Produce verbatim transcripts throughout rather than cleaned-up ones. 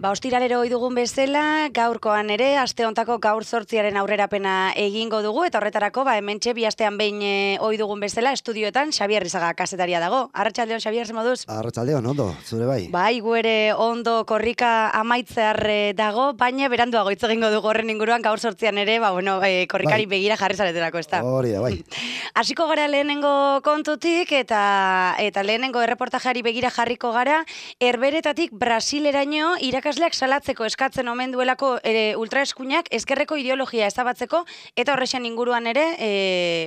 Ba, ostiralero ohi dugun bezala, gaurkoan ere, aste hontako gaur zortziaren aurrerapena egingo dugu, eta horretarako, ba, hementxe bi astean behin e, ohi dugun bezala, estudioetan Xabier Rizaga kazetaria dago. Arratsaldeon, Xabier, ze moduz? Arratsaldeon, ondo, zure bai. Bai, gu ere ondo korrika amaitzear dago, baina beranduago hitz egingo dugu horren inguruan, gaur zortzian ere, ba, bueno, e, korrikari bai. Begira jarri zaretelako, ez da? Hori da, bai. Hasiko gara lehenengo kontutik, eta eta lehenengo erreportajari begira jarriko gara, Herberetatik Brasileraino irakasleak salatzeko eskatzen omen duelako e, ultraeskuinak ezkerreko ideologia ezabatzeko, eta horrexan inguruan ere, e,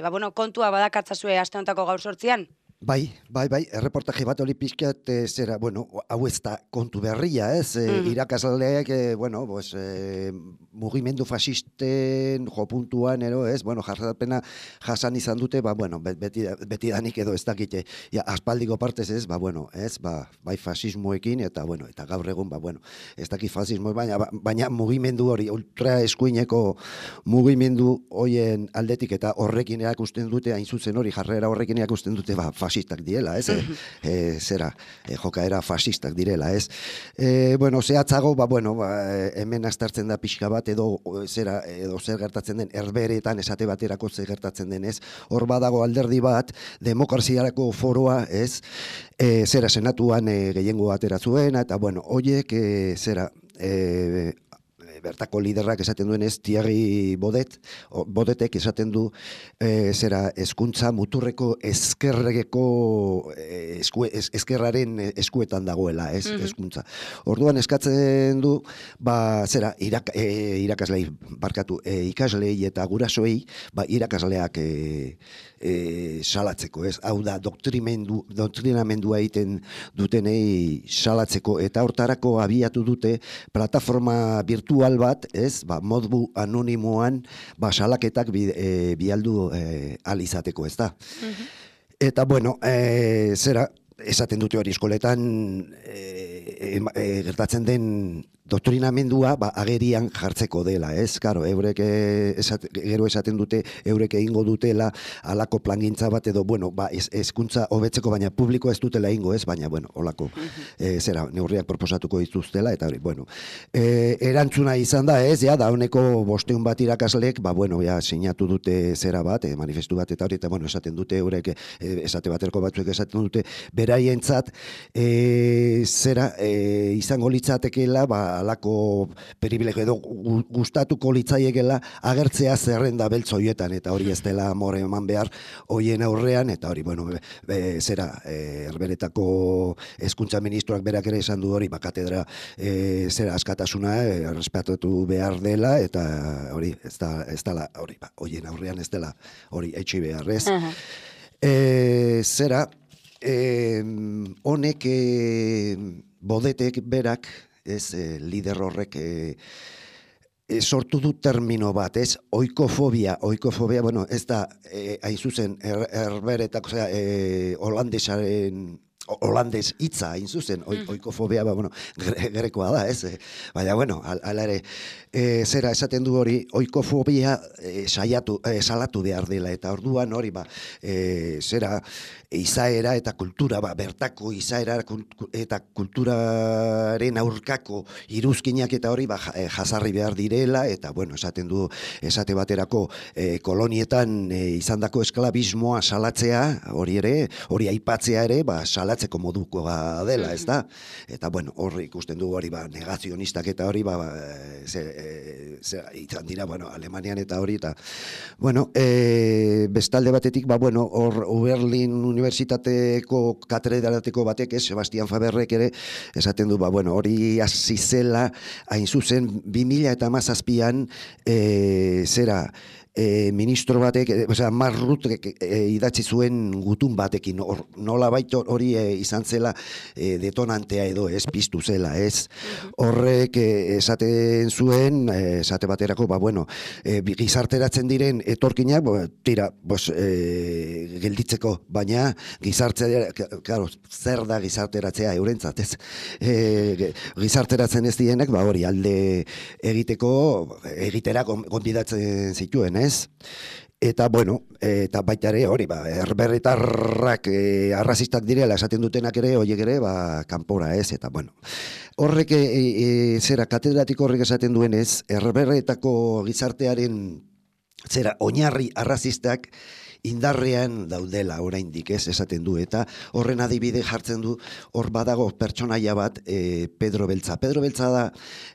ba, bueno, kontua badakatzazue aste hontako gaur sortzian. Bai, bai, bai, erreportaje bat hori pixkat, e, zera, bueno, hau ez da kontu berria, ez? E, mm. Irakasleak, e, bueno, pues, e, mugimendu fasisten jopuntuan, ero, ez? Bueno, jarrapena jasan izan dute, ba, bueno, beti, beti danik edo ez dakite, ja, aspaldiko partez ez, ba, bueno, ez, ba, bai fasismoekin, eta, bueno, eta gaur egun, ba, bueno, ez dakit fasismo, baina, baina mugimendu hori, ultra eskuineko mugimendu hoien aldetik, eta horrekin erakusten dute, hain zuzen hori, jarrera horrekin erakusten dute, ba, fasistak direla, ez? E, e, zera, e, jokaera fasistak direla, ez? E, bueno, zehatzago, ba, bueno, ba, hemen aztertzen da pixka bat, edo zera, edo zer gertatzen den, Herberetan esate baterako zer gertatzen den, ez? Hor badago alderdi bat, demokraziarako foroa, ez? E, zera, senatuan e, gehiengo atera zuena, eta, bueno, hoiek, e, zera, e, bertako liderrak esaten duen ez, Thierry Bodet, o, Bodetek esaten du, e, zera, hezkuntza muturreko ezkerreko e, esku, ez, ezkerraren eskuetan dagoela, ez, hezkuntza. Mm-hmm. Orduan eskatzen du, ba, zera, irak, e, irakaslei, barkatu, e, ikaslei eta gurasoei, ba, irakasleak e, e, salatzeko, ez, hau da, doktrimendu, doktrinamendua egiten dutenei salatzeko, eta hortarako abiatu dute plataforma virtual bat, ez, ba, modu anonimoan, ba, salaketak bi, e, bialdu e, alizateko, ez da. Mm-hmm. Eta, bueno, e, zera, esaten dute hori eskoletan e, e, e, gertatzen den doktrinamendua, ba, agerian jartzeko dela, ez? Karo, eurek esat, gero esaten dute, eurek egingo dutela alako plangintza bat edo, bueno, ba, hezkuntza hobetzeko, baina publiko ez dutela egingo, ez? Baina, bueno, olako, e, zera, neurriak proposatuko dituztela, eta hori, bueno, e, erantzuna izan da, ez? Ja, da honeko bosteun bat irakaslek, ba, bueno, ja, sinatu dute zera bat, e, manifestu bat, eta hori, eta, bueno, esaten dute, eurek, e, esate baterko batzuek esaten dute, beraientzat, e, zera, e, izango litzatekeela, ba, alako privilegio edo gustatuko litzaiekela agertzea zerrenda beltz hoietan, eta hori ez dela amore eman behar hoien aurrean, eta hori, bueno, be, be, zera, e, Herberetako hezkuntza ministroak berak ere esan du hori, ba, katedra, e, zera, askatasuna, e, respetatu behar dela, eta hori, ez da, ez dela, hori, ba, hoien aurrean ez dela, hori, etxi behar, ez? Uh-huh. e, zera, e, honek, e, Bodetek berak, ez, eh, lider horrek eh, eh, sortu du termino bat, ez, oikofobia, oikofobia, bueno, ez da, eh, hain zuzen, er, Herberetak, osea, eh, holandesaren, holandes hitza, hain zuzen, oikofobia, ba, bueno, grekoa da, ez, eh, baina, bueno, ala ere, e, zera esaten du hori, oikofobia e, saiatu, e, salatu behar dela, eta orduan hori, ba, e, zera, izaera eta kultura, ba, bertako izaera eta kulturaren aurkako iruzkinak eta hori, ba, jasarri behar direla, eta, bueno, esaten du, esate baterako e, kolonietan e, izandako esklabismoa salatzea, hori ere, hori aipatzea ere, ba, salatzeko modukoa dela, ez da? Eta, bueno, hori ikusten du hori, ba, negazionistak eta hori, ba, ze, ze, izan dira, bueno, Alemanian eta hori, eta, bueno, e, bestalde batetik, ba, bueno, hor, Oberlin Unibertsitateko katedraletako batek, ez, Sebastian Faberrek ere, esaten du, ba, bueno, hori hasi zela, hain zuzen, bi mila eta hamazazpian, e, zera, e, ministro batek, e, osea, marrutek e, idatzi zuen gutun batekin, or, nola baito hori e, izan zela e, detonantea edo ez piztu zela, ez? Horrek e, esaten zuen, e, esate baterako, ba, bueno, e, gizarteratzen diren etorkinak, bo, tira, bos, e, gelditzeko, baina gizartzea, claro, zer da gizarteratzea eurentzat, ez? E, gizarteratzen ez dienek, ba, hori, alde egiteko, egitera gonbidatzen zituen, ez? Eta, bueno, eta baita ere, hori, ba, herberritarrak e, arrazistak direla esaten dutenak ere, horiek ere, ba, kanpora, ez? Eta, bueno, horrek, e, e, zera, katedratiko horrek esaten duenez, herberretako gizartearen, zera, oinarri arrazistak, indarrean daudela oraindik, ez, esaten du, eta horren adibide jartzen du, hor badago pertsonaia bat, e, Pedro Beltza. Pedro Beltza da,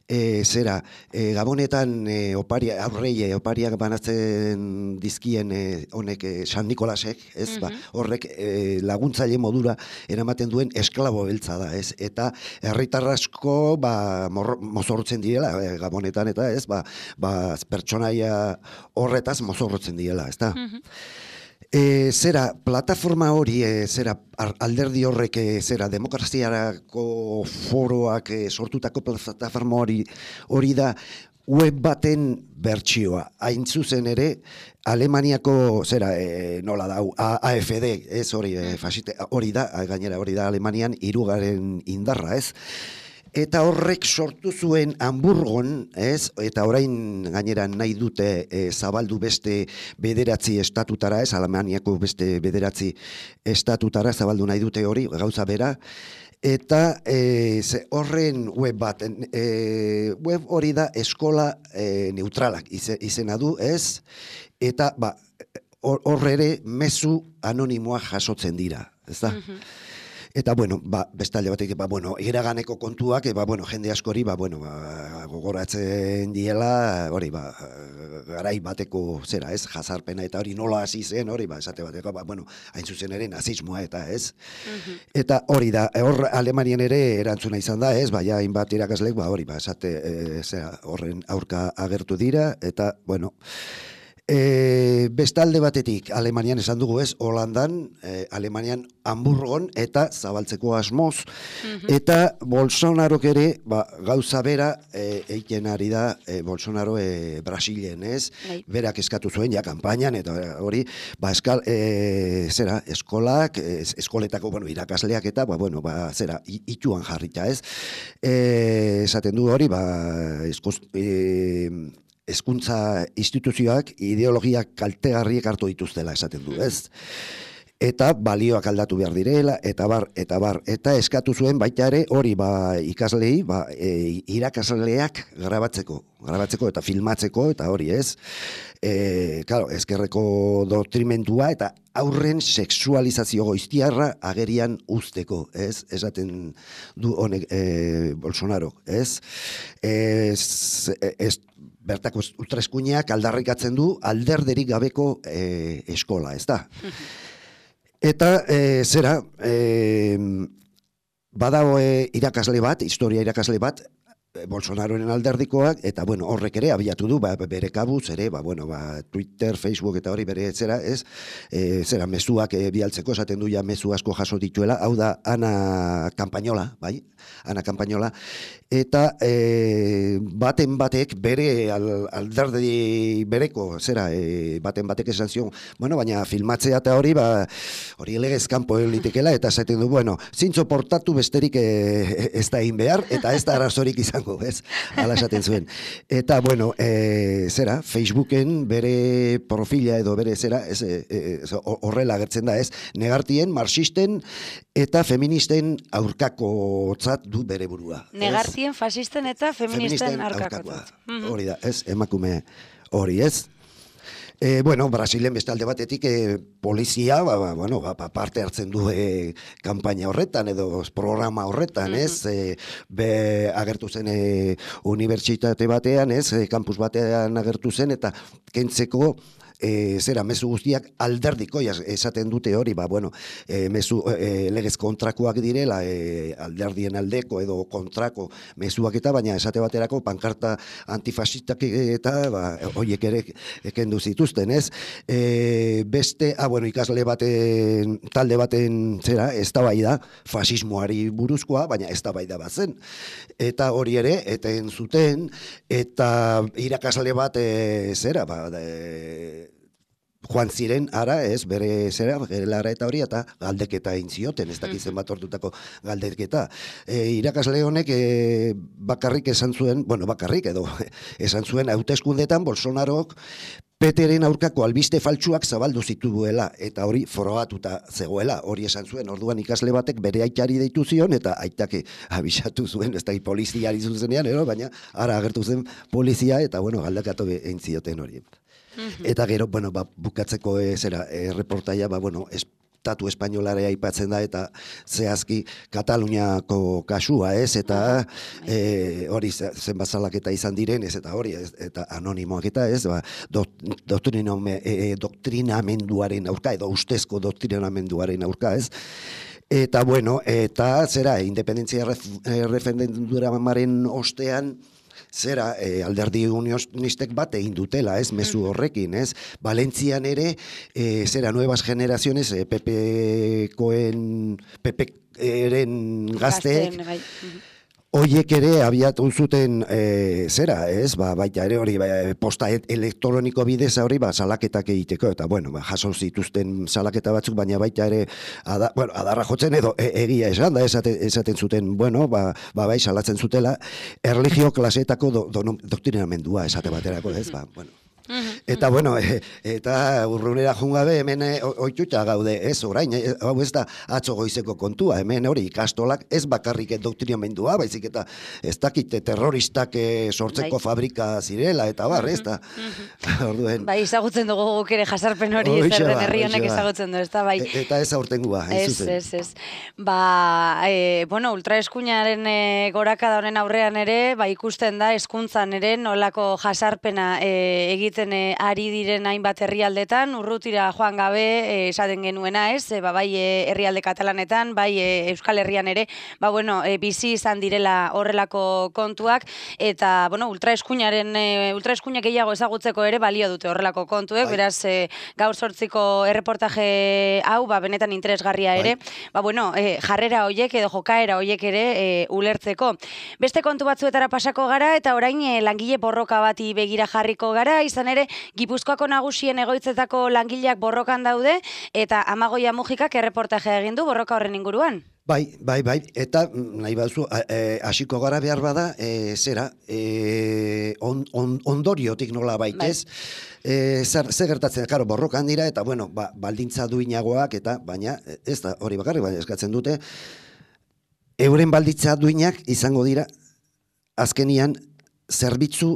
e, zera, e, Gabonetan e, oparia, aurreie, opariak banatzen dizkien e, honek e, San Nikolasek, ez, mm-hmm. ba, horrek e, laguntzaile modura eramaten duen esklabo beltza da, ez, eta herritar asko, ba, mozorrotzen direla, e, Gabonetan, eta ez, ba, ba pertsonaia horretaz mozorrotzen direla, ez da. Mm-hmm. E, zera, plataforma hori, e, zera, alderdi horrek, e, zera, demokraziarako foroak e, sortutako plataforma hori, hori da, web baten bertsioa. Hain zuzen ere, Alemaniako, zera, e, nola da, A F D, ez hori, e, fasite, hori da, gainera hori da Alemanian hirugaren indarra, ez? Eta horrek sortu zuen Hamburgon, ez? Eta orain gainera nahi dute e, zabaldu beste bederatzi estatutara, ez? Alemaniako beste bederatzi estatutara zabaldu nahi dute hori, gauza bera. Eta e, ze, horren web bat, e, web hori da eskola e, neutralak ize, izena du, ez? Eta ba, horre ere mezu anonimoa jasotzen dira, ez da? Mm-hmm. Eta, bueno, ba, bestalde batek, ba, bueno, iraganeko kontuak, ba, bueno, jende askori, ba, bueno, ba, gogoratzen diela, hori, ba, garai bateko, zera, ez, jazarpena, eta hori nola hasi zen, hori, ba, esate bateko, ba, bueno, hain zuzen ere nazismoa, eta, ez. Uh-huh. Eta hori da, hor Alemanian ere erantzuna izan da, ez, ba, ja, hainbat irakaslek, ba, hori, ba, esate, e, zera, horren aurka agertu dira, eta, bueno, E, bestalde batetik, Alemanian esan dugu ez, Holandan, e, Alemanian Hamburgon eta zabaltzeko asmoz, mm-hmm. eta Bolsonarok ere, ba, gauza bera, e, eiken ari da, e, Bolsonaro e, Brasilen, ez? Right. Berak eskatu zuen, ja, kanpainan, eta hori, ba, eskal, e, zera, eskolak, e, eskoletako, bueno, irakasleak eta, ba, bueno, ba, zera, ituan jarrita, ez? E, esaten du hori, ba, eskoz, e, hezkuntza instituzioak ideologiak kaltegarriek hartu dituztela esaten du, ez? Eta balioak aldatu behar direla, eta bar, eta bar, eta eskatu zuen baita ere hori ba, ikaslei, ba, e, irakasleak grabatzeko, grabatzeko eta filmatzeko, eta hori ez. E, claro, ezkerreko doktrimendua eta aurren sexualizazio goiztiarra agerian uzteko, ez? Esaten du honek e, Bolsonaro, ez? Ez, ez bertako ultraeskuinak aldarrikatzen du alderderik gabeko e, eskola, ez da? Eta e, zera, e, badago e, irakasle bat, historia irakasle bat, Bolsonaroren alderdikoak, eta bueno, horrek ere abiatu du, ba, bere kabuz ere, ba, bueno, ba, Twitter, Facebook eta hori bere zera, ez, e, zera, mezuak e, bialtzeko esaten du ja mezu asko jaso dituela, hau da Ana Campañola, bai, Ana Campañola, eta e, baten batek bere al, alderdi bereko, zera, e, baten batek esan zion, bueno, baina filmatzea eta hori, ba, hori legez kanpo litekela, eta esaten du, bueno, zintzo portatu besterik e, ez da egin behar, eta ez da arazorik izan, ez, ala esaten zuen. Eta, bueno, e, zera, Facebooken bere profila edo bere zera, ez, e, horrela agertzen da, ez, negartien, marxisten eta feministen aurkakotzat du bere burua. Negartien, fasisten eta feministen, feministen aurkakotzat. Hori da, ez, emakume hori, ez. E, bueno, Brasilen bestalde batetik e, polizia ba, ba, bueno, ba, parte hartzen du e, kanpaina horretan edo programa horretan, mm-hmm. ez? E, be, agertu zen e, unibertsitate batean, ez? E, kampus batean agertu zen eta kentzeko E, zera, mezu guztiak alderdiko esaten dute hori, ba, bueno, e, mezu e, legez kontrakoak direla, e, alderdien aldeko edo kontrako mezuak eta, baina esate baterako pankarta antifasistak eta, ba, horiek ere ekendu zituzten, ez? E, beste, ah, bueno, ikasle baten, talde baten, zera, eztabaida fasismoari buruzkoa, baina eztabaida bat zen. Eta hori ere, eten zuten, eta irakasle bat, e, zera, ba, de, joan ziren, ara, ez, bere zera, gelara eta hori, eta galdeketa egin zioten, ez dakizen bat ordutako galdeketa. E, irakasle honek e, bakarrik esan zuen, bueno, bakarrik edo, esan zuen hauteskundetan Bolsonarok Peteren aurkako albiste faltsuak zabaldu zituela, eta hori frogatuta zegoela, hori esan zuen, orduan ikasle batek bere aitari deitu zion, eta aitake abisatu zuen, ez da poliziari zuzenean, ero, baina ara agertu zen polizia, eta bueno, galdekatu egin zioten hori. Eta gero, bueno, ba, bukatzeko e, zera, e, reportaia, ba, bueno, estatu espainolarea aipatzen da, eta zehazki Kataluniako kasua, ez, eta e, hori zenbat salaketa izan diren, ez, eta hori, ez, eta anonimoak eta, ez, ba, doktriname, e, doktrinamenduaren aurka, edo ustezko doktrinamenduaren aurka, ez, eta, bueno, eta, zera, independentzia referendumaren ostean, zera, e, alderdi unionistek bat egin dutela, ez, mezu horrekin, ez, Valentzian ere, e, zera, nuevas generaciones, e, Pepekoen, Peperen gazteek, hoiek ere abiatu zuten, e, zera, ez, ba, baita ere hori, ba, posta elektroniko bidez hori, ba, salaketak egiteko, eta, bueno, ba, jaso zituzten salaketa batzuk, baina baita ere, ada, bueno, adarra jotzen edo, e, egia esan da, esaten, esaten zuten, bueno, ba, ba, bai, salatzen zutela, erlijio klasetako do, do, doktrinamendua esate baterako, ez, ba, bueno. Eta, bueno, e, eta urrunera jungabe hemen oituta gaude, ez, orain, e, hau ez da atzo goizeko kontua, hemen hori ikastolak ez bakarrik doktrinamendua, baizik eta ez dakite terroristak e, sortzeko bai. Fabrika zirela, eta bar, ez da. Orduen. Bai, ezagutzen dugu guk ere jasarpen hori, ez erden herri honek ezagutzen du, ez da, bai. E, eta ez aurtengua, hain zuzen. Ez, ez, ez. Ba, e, bueno, ultraeskuinaren e, gorakada honen aurrean ere, ba, ikusten da, hezkuntzan ere, nolako jasarpena e, egiten ari diren hainbat herrialdetan, urrutira joan gabe esaten genuena, ez, e, ba, bai e, herrialde katalanetan, bai e, Euskal Herrian ere, ba, bueno, e, bizi izan direla horrelako kontuak, eta, bueno, ultraeskuinaren, e, ultraeskuinak gehiago ezagutzeko ere balio dute horrelako kontuek, bai. Beraz, e, gaur sortziko erreportaje hau, ba, benetan interesgarria ere, bai. Ba, bueno, e, jarrera hoiek edo jokaera hoiek ere e, ulertzeko. Beste kontu batzuetara pasako gara, eta orain e, langile borroka bati begira jarriko gara, izan ere, Gipuzkoako nagusien egoitzetako langileak borrokan daude, eta Amagoia Mujikak erreportajea egin du borroka horren inguruan. Bai, bai, bai, eta nahi baduzu, hasiko e, gara behar bada, e, zera, e, on, on, ondoriotik nola baitez, bai. e, zer, zer gertatzen, karo, borrokan dira, eta, bueno, ba, baldintza duinagoak, eta, baina, ez da, hori bakarrik, baina eskatzen dute, euren baldintza duinak izango dira, azkenian, zerbitzu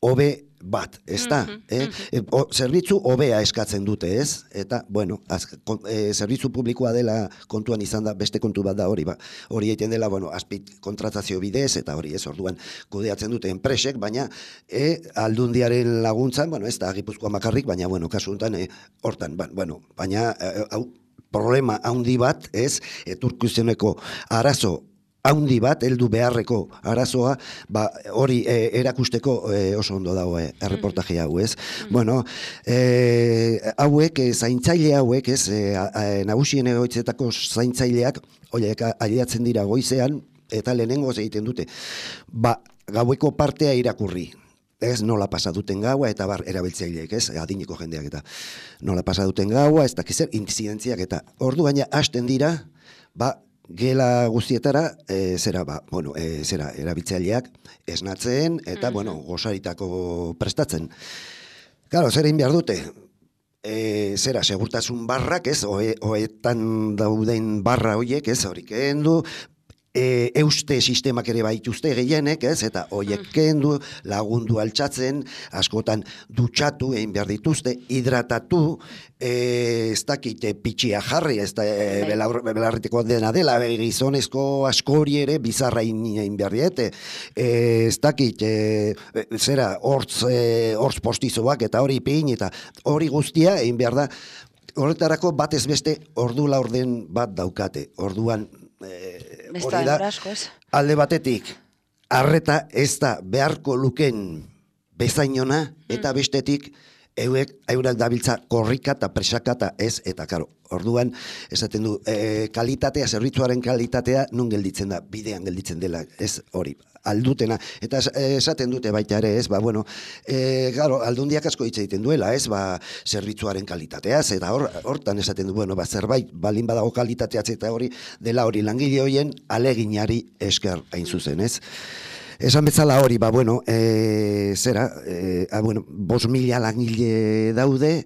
hobe bat, ez da? Mm-hmm, eh? mm-hmm. o, zerbitzu hobea eskatzen dute, ez? Eta, bueno, az, kon, e, zerbitzu publikoa dela kontuan izan da, beste kontu bat da hori, ba. Hori egiten dela, bueno, azpit kontratazio bidez, eta hori, ez, orduan kudeatzen dute enpresek, baina e, aldundiaren laguntzan, bueno, ez da, Gipuzkoa makarrik, baina, bueno, kasu honetan, e, hortan, ba, bueno, baina, e, hau, problema handi bat, ez, eturkizioneko arazo haundi bat, heldu beharreko arazoa, ba, hori e, erakusteko e, oso ondo dago e, erreportaje hau, ez? Mm. Bueno, e, hauek, e, zaintzaile hauek, ez, e, e, nagusien egoitzetako zaintzaileak, horiek aliatzen dira goizean, eta lehenengo egiten dute, ba, gaueko partea irakurri. Ez nola pasa duten gaua, eta bar erabiltzaileek, ez, adineko jendeak, eta nola pasa duten gaua, ez dakizer, inzidentziak, eta ordu baina hasten dira, ba, gela guztietara, e, zera, ba, bueno, e, zera, erabiltzaileak esnatzen, eta, mm-hmm. bueno, gozaritako prestatzen. Claro, zer egin behar dute? E, zera, segurtasun barrak, ez, oe, oetan dauden barra horiek, ez, horik egin du, E, euste sistemak ere baituzte gehienek, ez? Eta hoiek kendu, lagundu altxatzen, askotan dutxatu egin behar dituzte, hidratatu, e, ez dakit pitxia jarri, ez da e, belarriteko dena dela, e, gizonezko askori ere bizarra egin behar diete, e, ez dakit, e, zera, hortz, e, hortz postizoak eta hori pin, eta hori guztia egin behar da, horretarako batez beste ordu laurden bat daukate, orduan Eh, hori da, alde batetik, arreta ez da beharko luken bezainona, eta bestetik, euek, eurak dabiltza korrika eta presaka eta ez, eta karo, orduan, esaten du, e, kalitatea, zerbitzuaren kalitatea, nun gelditzen da, bidean gelditzen dela, ez hori, aldutena, eta esaten dute baita ere, ez, ba, bueno, e, garo, aldundiak asko hitz egiten duela, ez, ba, zerbitzuaren kalitateaz, eta hor, hortan esaten du, bueno, ba, zerbait, balin badago kalitateaz, eta hori, dela hori, langile horien aleginari esker hain zuzen, ez. Esan bezala hori, ba, bueno, e, zera, e, a, bueno, bos mila langile daude,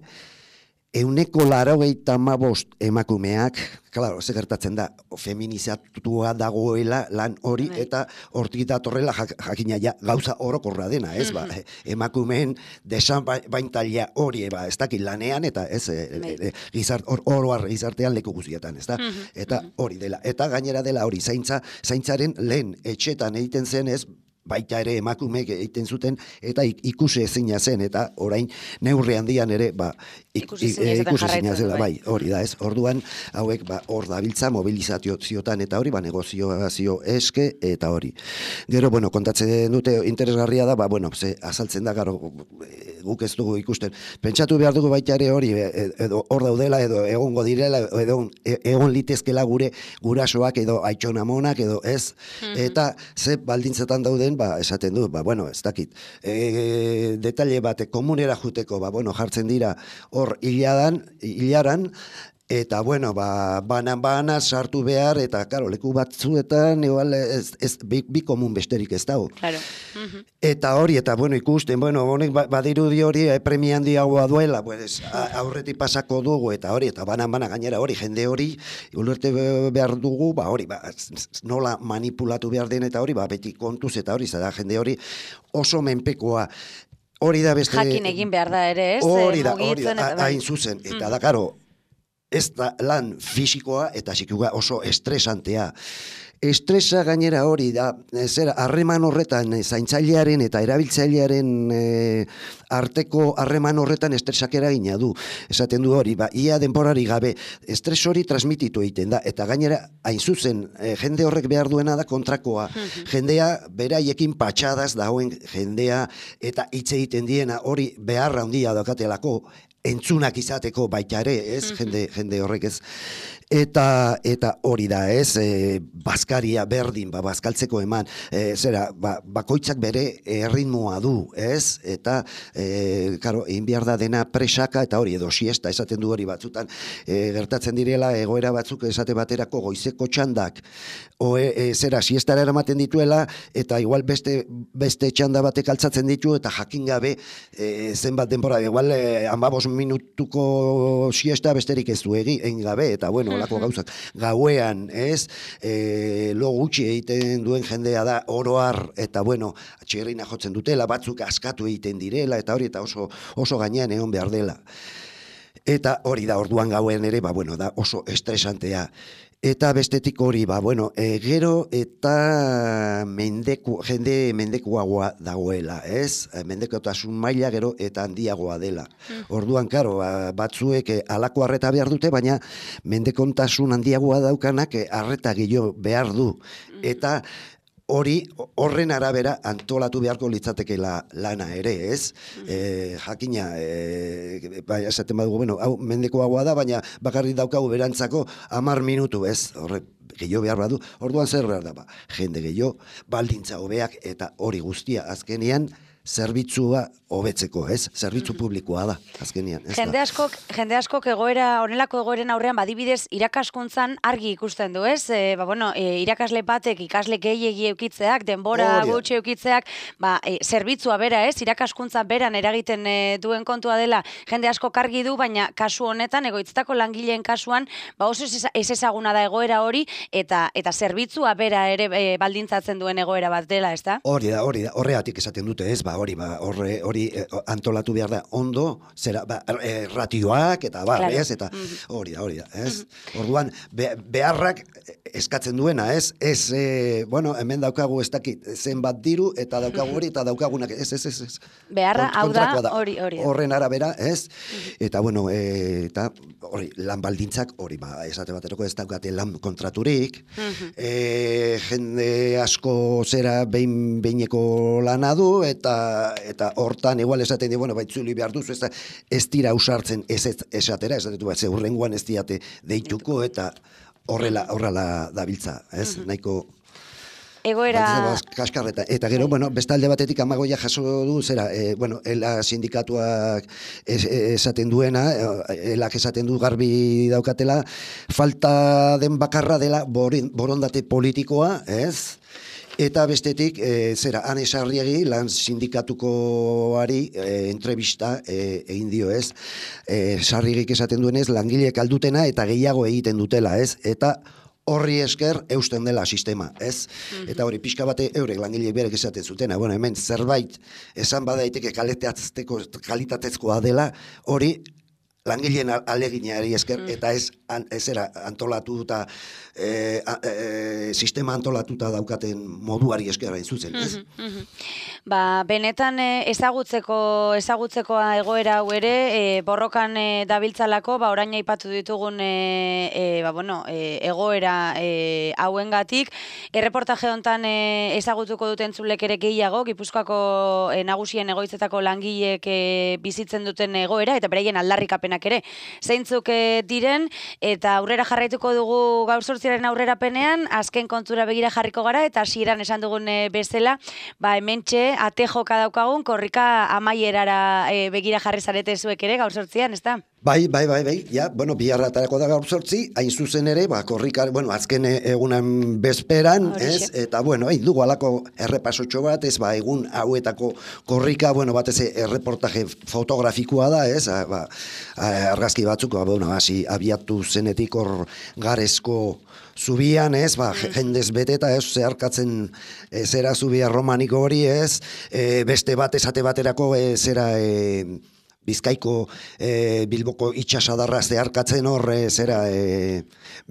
euneko laurogeita hamabost emakumeak, klaro, ze gertatzen da, feminizatua dagoela lan hori, eta hortik datorrela jak, jakina ja, gauza orokorra dena, ez, ba, emakumeen desan baintalia hori, ba, ez dakit lanean, eta ez, e, e, gizart, or, oroar gizartean leku guztietan, ez da, eta hori dela, eta gainera dela hori, zaintza, zaintzaren lehen etxetan egiten zen, ez, baita ere emakumeek egiten zuten, eta ikusi ezina zen, eta orain neurri handian ere, ba, ikusi ezina zela, bai, hori da ez, orduan, hauek, ba, hor dabiltza, mobilizazio ziotan, eta hori, ba, negoziazio eske, eta hori. Gero, bueno, kontatzen dute interesgarria da, ba, bueno, ze, azaltzen da, garo, guk ez dugu ikusten, pentsatu behar dugu baita ere hori, edo hor daudela, edo egongo direla, edo egon litezkela gure gurasoak, edo aitxonamonak, edo ez, eta ze baldintzetan dauden, ba, esaten du, ba, bueno, ez dakit, e, detalle bat, komunera juteko, ba, bueno, jartzen dira hor hiladan, hilaran, eta, bueno, ba, banan-bana sartu behar, eta, karo, leku batzuetan, igual, ez, ez, bi, bi komun besterik ez dago. Claro. Eta hori, eta, bueno, ikusten, bueno, honek badirudi hori, eh, premia handiagoa duela, pues, aurretik pasako dugu, eta hori, eta banan-bana gainera hori, jende hori, ulertu behar dugu, ba, hori, ba, nola manipulatu behar den, eta hori, ba, beti kontuz, eta hori, zara, jende hori oso menpekoa, hori da beste... Jakin egin behar da ere, ez? Hori da, hori da, hain zuzen, eta da, karo, ez da lan fisikoa eta psikikoa oso estresantea. Estresa gainera hori da, zera, harreman horretan, zaintzailearen eta erabiltzailearen e, arteko harreman horretan estresak eragina du. Esaten du hori, ba, ia denborari gabe, estres hori transmititu egiten da, eta gainera, hain zuzen, e, jende horrek behar duena da kontrakoa. Jendea, beraiekin patxadaz dagoen jendea, eta hitz egiten diena hori beharra handia daukatelako, entzunak izateko baita ere, ez, jende, jende horrek ez. Eta, eta hori da, ez, e, bazkaria berdin, ba, bazkaltzeko eman, e, zera, ba, bakoitzak bere erritmoa du, ez, eta, e, karo, egin behar da dena presaka, eta hori, edo siesta, esaten du hori batzutan, e, gertatzen direla, egoera batzuk esate baterako goizeko txandak, o, e, e, zera, siestara eramaten dituela, eta igual beste, beste txanda batek altzatzen ditu, eta jakin gabe, e, zenbat denbora, igual, e, amabos minutuko siesta besterik ez du egin gabe, eta bueno, olako gauzak, gauean, ez, e, lo gutxi egiten duen jendea da, oroar, eta bueno, txerrina jotzen dutela, batzuk askatu egiten direla, eta hori, eta oso, oso gainean egon behar dela. Eta hori da, orduan gauen ere, ba, bueno, da oso estresantea. Eta bestetik hori, ba, bueno, e, gero eta mendeku, jende mendekuagoa dagoela, ez? Mendekotasun maila gero eta handiagoa dela. Orduan, karo, batzuek halako harreta behar dute, baina mendekontasun handiagoa daukanak harreta gehiago behar du. Eta hori, horren arabera antolatu beharko litzatekeela lana ere, ez? E, jakina, e, bai, esaten badugu, bueno, hau mendekoagoa da, baina bakarrik daukagu berantzako hamar minutu, ez? Horre, gehiago behar badu, orduan zer behar da, ba, jende gehiago, baldintza hobeak, eta hori guztia azkenean, zerbitzua hobetzeko, ez? Zerbitzu publikoa da, azkenian. Jende askok, jende askok egoera, honelako egoeren aurrean, badibidez, irakaskuntzan argi ikusten du, ez? E, ba, bueno, e, irakasle batek, ikasle gehiegi eukitzeak, denbora gutxi eukitzeak, ba, e, zerbitzua bera, ez? Irakaskuntza beran eragiten e, duen kontua dela, jende askok argi du, baina kasu honetan, egoitzetako langileen kasuan, ba, oso ez ezaguna da egoera hori, eta eta zerbitzua bera ere e, baldintzatzen duen egoera bat dela, ez da? Hori da, hori da, horregatik esaten dute, ez? Ba, hori, ba, horre, hori antolatu behar da ondo, zera, ba, e, ratioak, eta bar, claro. Ez, eta hori da, hori da, ez? Mm-hmm. Orduan, be, beharrak eskatzen duena, ez? Ez, e, bueno, hemen daukagu ez dakit, zenbat diru, eta daukagu hori, eta daukagunak, ez, ez, ez, ez. Beharra, hau da, hori, hori. Horren arabera, ez? Mm-hmm. Eta, bueno, e, eta, hori, lan baldintzak, hori, ba, esate bateroko ez daukate lan kontraturik, mm-hmm. e, jende asko zera behin behineko lana du, eta, eta hortan, igual esaten di, bueno, baitzuli behar duzu, ez, ez dira usartzen ez ez esatera, esatetu bat, ze hurrengoan ez diate deituko, eta horrela, horrela dabiltza, ez, mm-hmm. nahiko... Egoera... Kaskarreta. Eta gero, bueno, bestalde batetik amagoia jaso du, zera, e, bueno, ela sindikatuak es, esaten duena, elak esaten du garbi daukatela, falta den bakarra dela borondate politikoa, ez? Eta bestetik, e, zera, Ane Sarriegi, lan sindikatukoari e, entrevista e, egin dio, ez? E, Sarriegik esaten duenez, langileek aldutena eta gehiago egiten dutela, ez? Eta horri esker eusten dela sistema, ez? Mm-hmm. Eta hori pixka bate eurek langileek berek esaten zutena, bueno, hemen zerbait esan badaiteke kalitatezkoa dela, hori langileen aleginari esker, mm. eta ez, an, ez era antolatu eta e, e, sistema antolatuta daukaten moduari esker hain zuzen, ez? Mm-hmm, mm-hmm. Ba, benetan ezagutzeko ezagutzekoa egoera hau ere, e, borrokan e, dabiltzalako, ba, orain aipatu ditugun e, e, ba, bueno, e, egoera e, hauengatik, erreportaje hontan e, ezagutuko duten zulek ere gehiago, Gipuzkoako e, nagusien egoitzetako langileek e, bizitzen duten egoera, eta beraien aldarrikapenak ere zeintzuk diren, eta aurrera jarraituko dugu gaur zortziaren aurrerapenean, azken kontura begira jarriko gara, eta hasieran esan dugun bezala, ba hementxe ate joka daukagun, korrika amaierara e, begira jarri zarete zuek ere gaur zortzian, ez da? Bai, bai, bai, bai, ja, bueno, biharratarako da gaur zortzi, hain zuzen ere, ba, korrika, bueno, azken egunan bezperan, ez, eta, bueno, hain dugu alako errepasotxo bat, ez, ba, egun hauetako korrika, bueno, batez erreportaje fotografikoa da, ez, ba, argazki batzuk, ba, bueno, hasi abiatu zenetik hor garezko zubian, ez, ba, jendez beteta, ez, zeharkatzen e, zera zubia romaniko hori, ez, e, beste bat esate baterako, e, zera, e, Bizkaiko e, Bilboko itxasadarra zeharkatzen hor, e, zera, e,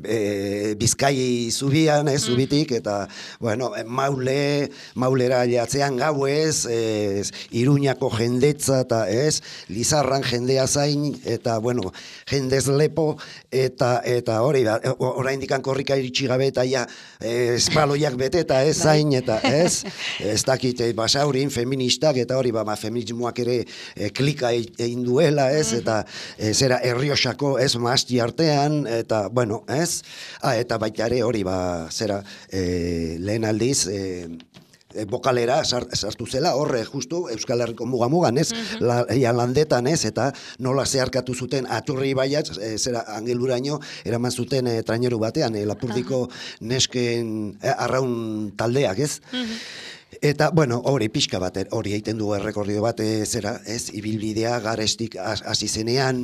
e, Bizkai zubian, ez, zubitik, eta, bueno, maule, maulera jatzean gauez, e, Iruñako jendetza, eta, ez, Lizarran jendea zain, eta, bueno, jendez lepo, eta, eta hori, orain dikan korrika iritsi gabe, eta ja, e, espaloiak bete, eta ez zain, eta, ez, ez dakit, e, basaurin, feministak, eta hori, ba, feminismoak ere e, klika egin duela, ez, eta e, zera Errioxako, ez, maasti artean, eta, bueno, ez, ah, eta baita ere hori, ba, zera, e, lehen aldiz, e, e, bokalera sartu zela, horre, justu, Euskal Herriko mugamugan, ez, mm-hmm. la, ja, landetan, ez, eta nola zeharkatu zuten aturri baiat, e, zera, angeluraino, eraman zuten e, traineru batean, e, Lapurdiko uh-huh. nesken e, arraun taldeak, ez, mm-hmm. Eta, bueno, hori pixka bat, hori egiten du errekordio bat, e, zera, ez, ibilbidea, garestik hasi zenean,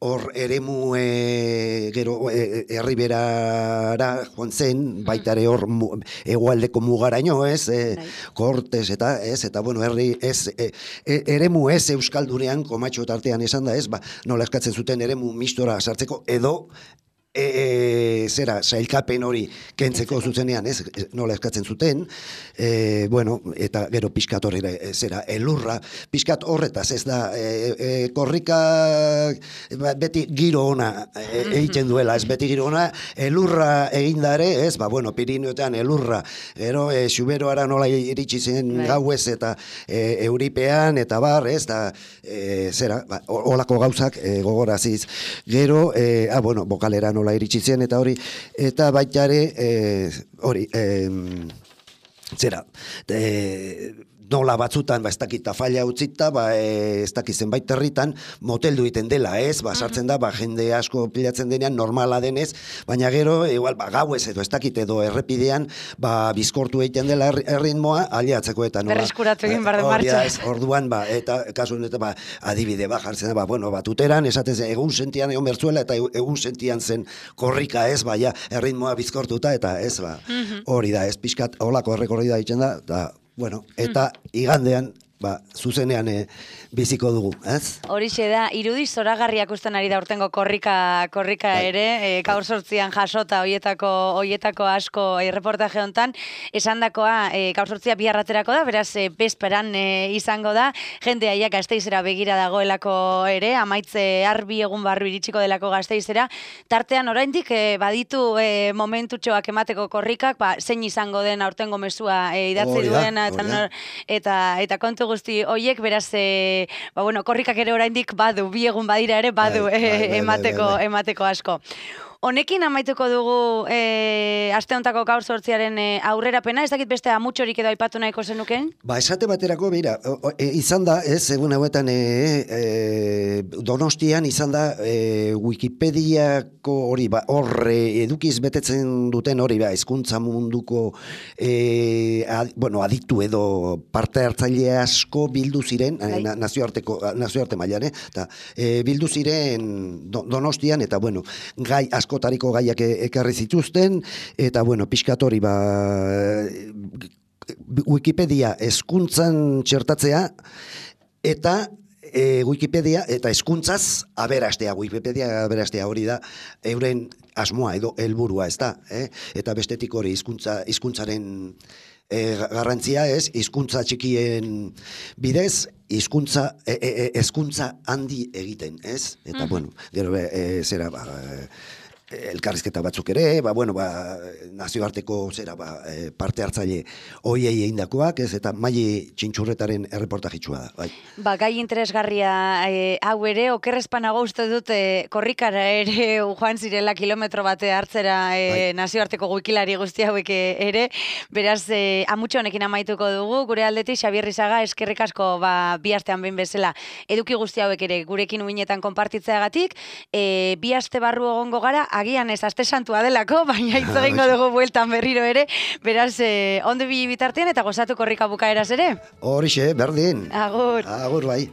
hor eremu e, gero e, herriberara joan zen, baitare hor mu, egualdeko mugaraino, ez, e, Kortes, eta, ez, eta, bueno, herri, ez, e, e, eremu ez Euskaldunean, komatxo tartean esan da, ez, ba, nola eskatzen zuten eremu mistora sartzeko, edo, E, e, zera, sailkapen hori kentzeko zuzenean, ez, nola eskatzen zuten, e, bueno, eta gero pixkat horre, zera, elurra, pixkat horretaz, ez da, e, e, korrika beti giro ona e, egiten duela, ez beti giro ona, elurra egindare, ez, ba, bueno, Pirineotean elurra, gero, e, Xuberoara nola iritsi zen gauez, eta e, euripean, eta bar, ez, da, e, zera, ba, olako gauzak e, gogoraziz, gero, e, ah, bueno, bokalera nola iritsi zen, eta hori, eta baita ere, e, hori, e, zera, e, nola batzutan, ba, ez dakit tafaila utzita, ba, e, ez dakit zenbait herritan, moteldu egiten dela, ez? Ba, sartzen da, ba, jende asko pilatzen denean, normala denez, baina gero, igual, ba, gauez edo, ez dakit edo errepidean, ba, bizkortu egiten dela erritmoa, aliatzeko eta nola. Berreskuratu egin barren martxa. Orduan, ba, eta kasu honetan, ba, adibide, ba, jartzen da, ba, bueno, ba, tuteran, esaten zen, egun sentian egon bertzuela, eta egun sentian zen korrika, ez, ba, ja, erritmoa bizkortuta, eta ez, ba, hori da, ez, pixkat, holako errekorri da ditzen da, eta, bueno, eta igandean, ba, zuzenean e, biziko dugu, ez? Horixe da, irudi zoragarriak usten ari da urtengo korrika, korrika bai. ere, e, gaur sortzian jasota hoietako, hoietako asko erreportaje hontan, esandakoa e, gaur sortzia biharraterako da, beraz, e, bezperan e, izango da, jende aiak Gasteizera begira dagoelako ere, amaitze arbi egun barru iritsiko delako Gasteizera, tartean oraindik e, baditu e, momentutxoak emateko korrikak, ba, zein izango den aurtengo mezua e, idatzi duena, eta, eta, eta kontu guzti hoiek, beraz, e, ba, bueno, korrikak ere oraindik badu, bi egun badira ere badu bai, bai, bai, emateko, bai, bai. emateko asko. Honekin amaituko dugu e, aste hontako gaur sortziaren e, aurrerapena, ez dakit beste amutxorik edo aipatu nahiko zenuken? Ba, esate baterako, beira, e, izan da, ez, egun hauetan e, e, Donostian izan da e, Wikipediako hori, ba, horre edukiz betetzen duten hori, ba, hezkuntza munduko e, ad, bueno, aditu edo parte hartzaile asko bildu ziren, e, nazioarteko, nazioarte mailan, eh? Ta, e, bildu ziren Donostian, eta, bueno, gai asko askotariko gaiak ekarri zituzten, eta, bueno, pixkatori, ba, Wikipedia hezkuntzan txertatzea, eta e, Wikipedia, eta hezkuntzaz aberastea, Wikipedia aberastea hori da, euren asmoa edo helburua, ez da, eh? Eta bestetik hori hizkuntza, hizkuntzaren e, garrantzia ez, hizkuntza txikien bidez, hizkuntza, e, e, hezkuntza handi egiten, ez? Eta, mm. bueno, gero, e, zera, ba, elkarrizketa batzuk ere, ba, bueno, ba, nazioarteko zera, ba, parte hartzaile hoiei egindakoak, ez, eta maili txintxurretaren erreportajitsua da, bai. Ba, gai interesgarria e, hau ere, okerrezpanago uste dut e, korrikara ere joan zirela kilometro bate hartzera e, bai. Nazioarteko wikilari guzti hauek ere, beraz, e, amutxo honekin amaituko dugu, gure aldetik Xabier Rizaga eskerrik asko ba, bi astean behin bezala eduki guzti hauek ere gurekin uinetan konpartitzeagatik, e, bi aste barru egongo gara, agian ez aste santua delako, baina hitz egingo dugu bueltan berriro ere, beraz, eh, ondo bi bitartean eta gozatu korrika bukaeraz ere. Horixe, berdin. Agur. Agur, bai.